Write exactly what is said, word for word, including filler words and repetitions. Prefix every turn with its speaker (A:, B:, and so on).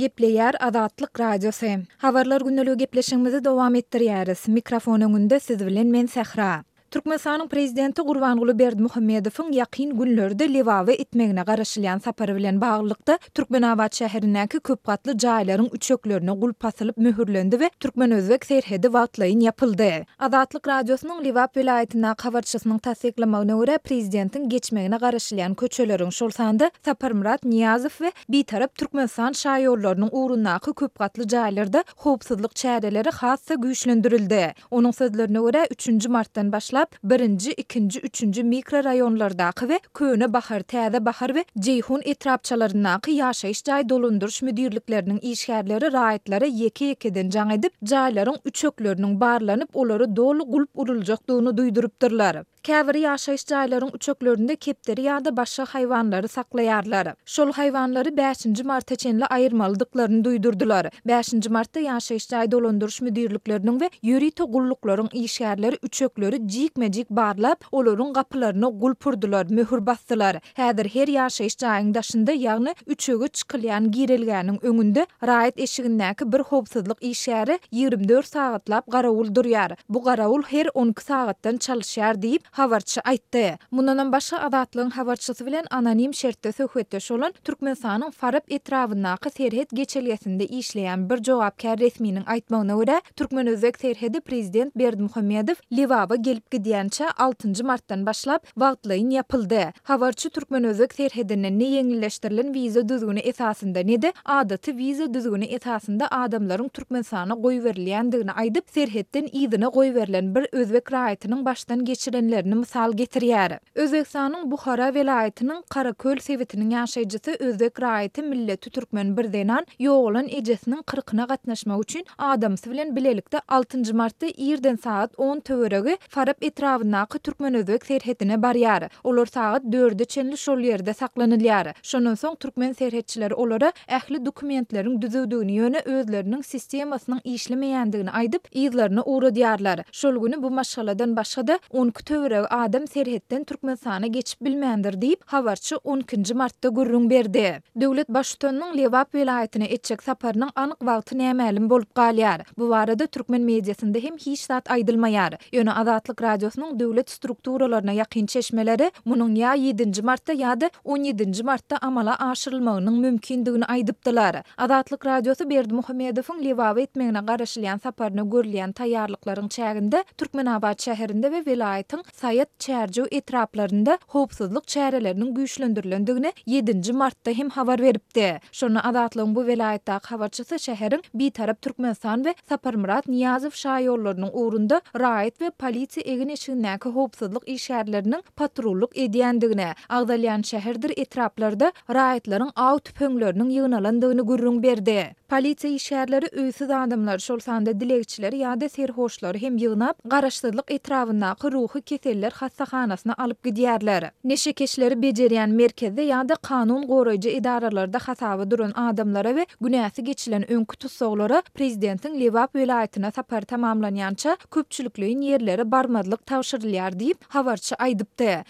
A: Gepleýär Azatlyk Radiosy. Habarlar gündeligi gepleşigimizi dowam etdirýäris. Mikrofon öňünde siz bilen men Sähra. Türkmenistanyň Prezidenti Gurbanguly Berdimuhamedowyň ýakyn günlerde Lebaba etmegine garaşylýan sapary bilen baglylykda, Türkmenabat şäherindäki köp gatly jaýlaryň üçeklerine gulp asylyp möhürlendi we türkmen-özbek serhedi wagtlaýyn ýapyldy. Azatlyk Radiosynyň Lebap welaýatyndaky habarçysynyň tassyklamagyna görä, prezidentiň geçmegine garaşylýan köçeleriň, şol sanda Saparmyrat Nyýazow we Bitarap Türkmenistan şaýollarynyň ugrundaky köp gatly jaýlarda howpsuzlyk çäreleri has-da güýçlendirildi. Onuň sözlerine görä, üçünji martdan başlap, birinji, ikinji, üçünji mikroraýonlardaky we Köne Bahar, Täze Bahar we Jeýhun etrapçalaryndaky ýaşaýyş jaý dolandyryş müdirlikleriniň işgärleri raýatlara ýeke-ýekeden jaň edip, jaýlaryň üçekleriniň barlanyp, olara doly gulp uruljakdygyny duýdurypdyrlar. Käbir ýaşaýyş jaýlaryň üçeklerinde kepderi ýa-da başga haýwanlary saklaýarlar. Şol haýwanlary bäşinji marta çenli aýyrmalydyklaryny duýdurdylar. Bäşinji martda ýaşaýyş jaý dolandyryş müdirlikleriniň we ýörite gulluklaryň işgärleri üçekleri jikme-jik barlap, olaryň gapylaryna gulp urdular, möhür basdylar. Häzir her ýaşaýyş jaýyň daşynda, ýagny üçege çykylýan girelgäniň öňünde raýat eşigindäki bir howpsuzlyk işgäri ýigrimi dört sagatlap garawul durýar. Bu garawul her on iki sagatdan çalyşýar diýip, habarçy aýtdy. Mundanam başga Azatlygyň habarçysy bilen anonim şertde söhbetdeş bolan Türkmenistanyň Farap etrabyndaky serhet geçelgesinde işleýän bir jogapkär resminiň aýtmagyna görä, türkmen-özbek serhedi prezident Berdimuhamedow Lebaba gelip gidýänçä altynjy martdan başlap wagtlaýyn ýapyldy. Habarçy türkmen-özbek serhedinden ne ýeňilleşdirilen wiza düzgüni esasynda, ne-de adaty wiza düzgüni esasynda adamlaryň Türkmenistana goýberilýändigini aýdyp, serhetden yzyna goýberilen bir özbek raýatynyň başdan geçirenlerini mysal getirýär. Özbegistanyň Buhara welaýatynyň Karaköl sebitiniň ýaşaýjysy özbek raýaty milleti türkmen bir zenan ýogalan ejesiniň kyrkyna gatnaşmak üçin adamsy bilen bilelikde altynjy martda irden sagat on töweregi Farap etrabyndaky türkmen-özbek serhedine barýar. Olar sagat dörde çenli şol ýerde saklanylýar. Şondan soň türkmen serhetçileri olara ähli dokumentleriň düzüwdigini, ýöne özleriniň sistemasynyň işlemeýändigini aýdyp, yzlaryna ugradýarlar. Şol güni bu maşgaladan başga-da on iki töweregi adam serhetden Türkmenistana geçip bilmändir diýip, habarçy on ikinji martda gürrüň berdi. Döwlet Baştutanynyň Lebap welaýatyna etjek saparynyň anyk wagty nämälim bolup galýar. Bu barada türkmen mediasynda hem hiç zat aýdylmaýar. Ýöne Azatlyk Radiosynyň döwlet strukturalaryna ýakyn çeşmeleri munuň ýa ýedinji martda ýa-da on ýedinji martda amala aşyrylmagynyň mümkindigini aýdypdylar. Azatlyk Radiosy Berdimuhamedowyň Lebaba etmegine garaşylýan saparyna görülýän taýýarlyklaryň çäginde Türkmenabat şäherinde we welaýatyň Saýat, Çärjew etraplarynda howpsuzlyk çäreleriniň güýçlendirilendigini ýedinji martda hem habar beripdi. Şonda Azatlygyň bu welaýatdaky habarçysy şäheriň Bitarap Türkmenistan we Saparmyrat Nyýazow şaýollarynyň ugrunda raýat we polisiýa egin-eşigindäki howpsuzlyk işgärleriniň patrullyk edýändigini, agzalýan şäherdir etraplarda raýatlaryň aw tüpeňleriniň ýygnalandygyny gürrüň berdi. Polisiýa işgärleri öýsüz adamlary, şol sanda dilegçileri ýa-da serhoşlary hem ýygnap, Garaşsyzlyk etrabyndaky ruhy keseller hassahanasyna alyp gidýärler. Neşekeşleri bejerýän merkezde ýa-da kanun goraýjy edaralarda hasaba duran adamlara we günäsi geçilen öňki tussaglara prezidentiň Lebap welaýatyna sapary tamamlanýança köpçülikleýin ýerlere barmazlyk tabşyrylýar diýip, habarçy aýdypdy.